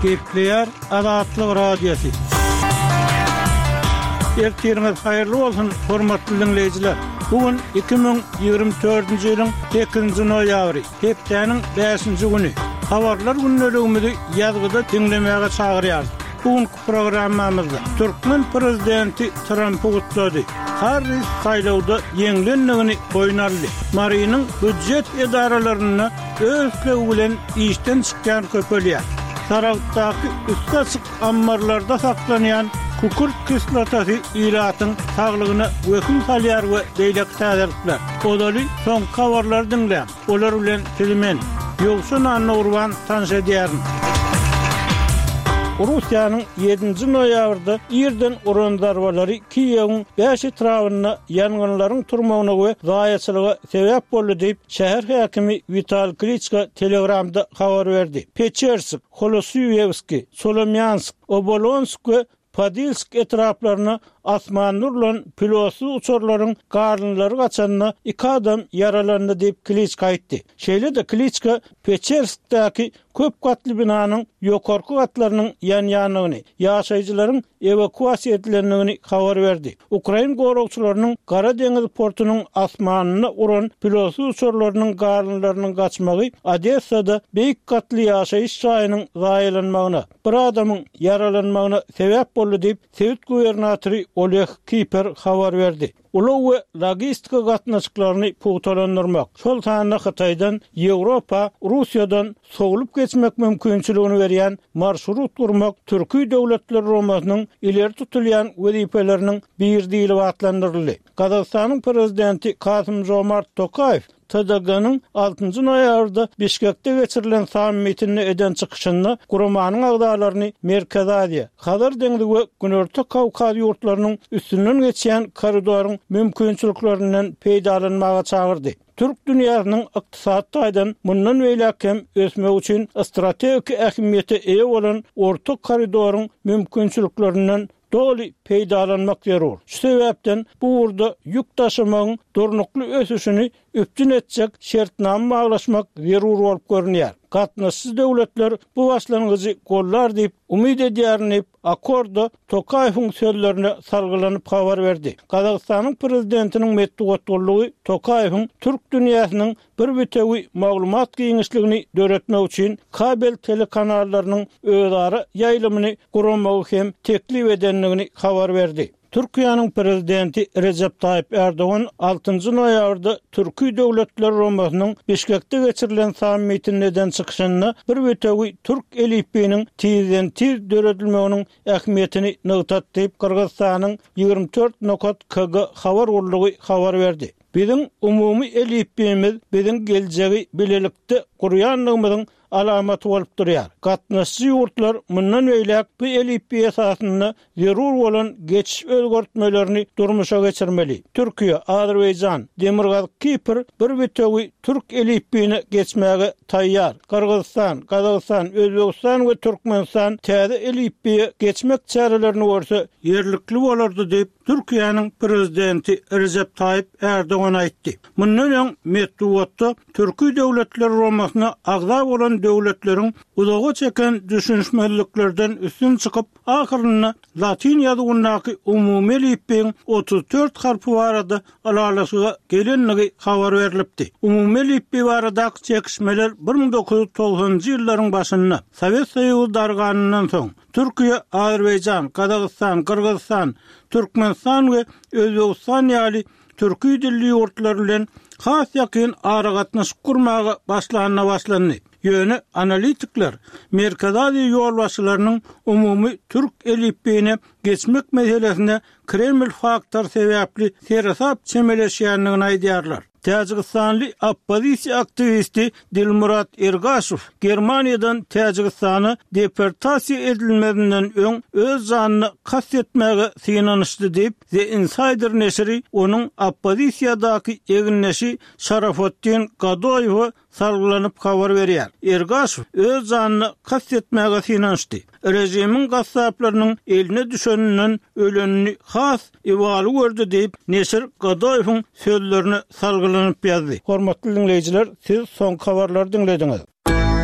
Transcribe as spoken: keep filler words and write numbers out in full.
Gepleýär Azatlyk Radiosy. Ertiriňiz haýyrly bolsun, hormatly diňleýjiler! Bu gün iki müň ýigrimi dördünji ýylyň sekizinji noýabry, hepdäniň bäşinji güni. Habarlar gündeligimizi ýazgyda diňlemäge çagyrýarys. Bu günki programmamyzda türkmen prezidenti Trampy gutlady. Harris saýlawda ýeňlendigini boýun aldy. Marynyň býujet edaralarynda öz islegi bilen işden çykýan köpelýär. Saragtdaky üsti açyk ammarlarda saklanýan kükürt kislotasy ilatyň saglygyna wehim salýar we beýleki täzelikler. Ozaly soňky habarlary diňläň. Olar bilen sizi men, Ýowşan Annagurban tanyş edýärin. Russiýanyň ýedinji noýabrda irden uran zarbalary Kiýewiň bäş etrabynda ýangynlaryň turmagyna we zaýaçylyga sebäp boldy diýip, şäher häkimi Wital Kliçko Telegramda habar berdi. Peçersk, Holosýuwskiý, Solomýansk, Obolonsk we Podilsk etraplaryna asmanda urlan pilotsyz uçarlaryň galyndylary gaçanda iki adam ýaralandy diýip, Kliçko aýtdy. Şeýle-de Kliçko Peçerskdäki köp gatly binanyň ýokarky gatlarynyň ýanýandygyny, ýaşaýjylaryň ewakuasiýa edilendigini habar berdi. Ukrain goragçylarynyň Gara deňiz portunyň asmanyna uran pilotsyz uçarlarynyň galyndylarynyň gaçmagy Odessada beýik gatly ýaşaýyş jaýynyň zaýalanmagyna, bir adamyň ýaralanmagyna sebäp boldy diýip, sebit gubernatory Oleg Kiper habar berdi. Ulag we logistika gatnaşyklaryny pugtalandyrmak, şol sanda Hytaýdan Ýewropa, Russiýadan sowlup geçmek mümkinçiligini berýän marşrut gurmak Türki Döwletler Guramasynyň ileri tutulýan wezipeleriniň biri diýlip atlandyryldy. Gazagystanyň Prezidenti Kasym-Žomart Tokaýew T D G-nyň altynjy noýabrda Bişkekde geçirilen sammitinde eden çykyşynda guramanyň agzalaryny Merkezi Aziýa, Hazar deňzi we Günorta Kawkaz ýurtlarynyň üstünden geçýän koridoryň mümkinçiliklerinden peýdalanmaga çagyrdy. Türk dünýäsiniň ykdysady taýdan mundan beýläk hem ösmegi üçin strategik ähmiýete eýe bolan Orta koridoryň mümkinçiliklerinden doly peýdalanmak zerur. Şu sebäpden bu ugurda ýük daşamagyň durnukly ösüşini üpjün etjek şertnama baglaşmak zerur bolup görünýär. Gatnaşyjy döwletler bu başlangyjy gollar diýip umyt edýärin diýip, Akorda Tokaýewiň sözlerine salgylanyp habar berdi. Gazagystanyň Prezidentiniň metbugat gullugy Tokaýewiň türk dünýäsiniň bir bitewi maglumat giňişligini döretmek üçin kabel telekanallarynyň özara ýaýlymyny guramagy hem teklip edendigini habar berdi. Türkiýäniň Prezidenti Rejep Taýyp Ärdogan altynjy noýabrda Türki Döwletler Guramasynyň Bişkekde geçirilen sammitinde eden çykyşynda bir bitewi türk elipbiýiniň tizden-tiz döredilmeginiň ähmiýetini nygtady diýip, Gyrgyzystanyň ýigrimi dört nokat K G habar gullugy habar berdi. Biziň umumy elipbiýimiz biziň geljegi bilelikde gurýandygymyzyň alamaty bolup durýar. Gatnaşyjy ýurtlar mundan beýläk bu elipbiý esasynda zerur bolan geçiş özgertmelerini durmuşa geçirmeli. Türkiýe, Azerbaýjan, Demirgazyk Kipr bir bitewi türk elipbiýine geçmäge taýýar. Gyrgyzystan, Gazagystan, Özbegistan we Türkmenistan täze elipbiýe geçmek çärelerini görse ýerlikli bolardy diýip, Türkiýäniň Prezidenti Rejep Taýyp Ärdogan aýtdy. Mundan öň metbugatda Türki Döwletler Guramasyna agza bolan döwletleriň uzaga çeken düşünişmezliklerden üstün çykyp, ahyrynda latyn ýazuwyndaky umumy elipbiýiň otuz dört harpy barada ylalaşyga gelendigi habar berlipdi. Umumy elipbiý baradaky çekişmeler bir müň dokuz ýüz togsanynjy ýyllaryň başynda, Sowet Soýuzy darganyndan soň, Türkiýe, Azerbaýjan, Gazagystan, Gyrgyzystan, Türkmenistan we Özbegistan ýaly türki dilli ýurtlar bilen has ýakyn aragatnaşyk gurmaga başlanda başlandy. Ýöne analitikler Merkezi Aziýa ýolbaşçylarynyň umumy türk elipbiýine geçmek meselesine Kreml faktory sebäpli seresap çemeleşýändigini aýdýarlar. Täjigistanly oppozisiýa aktiwisti Dilmurat Ergaşow Germaniýadan Täjigistana deportasiýa edilmezinden öň öz janyna kast etmäge synanyşdy diýip, The Insider neşiri onuň oppozisiýadaky egindeşi Şarafotdin Gadoýewe salgylanyp habar berýär. Ergaşow öz janyna kast etmäge synanyşdy. Režimiň gassaplarynyň eline düşeninden ölenini has ibaly gördi diýip, neşir Gadoýewiň sözlerine salgylanyp ýazdy. Hormatly diňleýjiler, siz soňky habarlary diňlediňiz.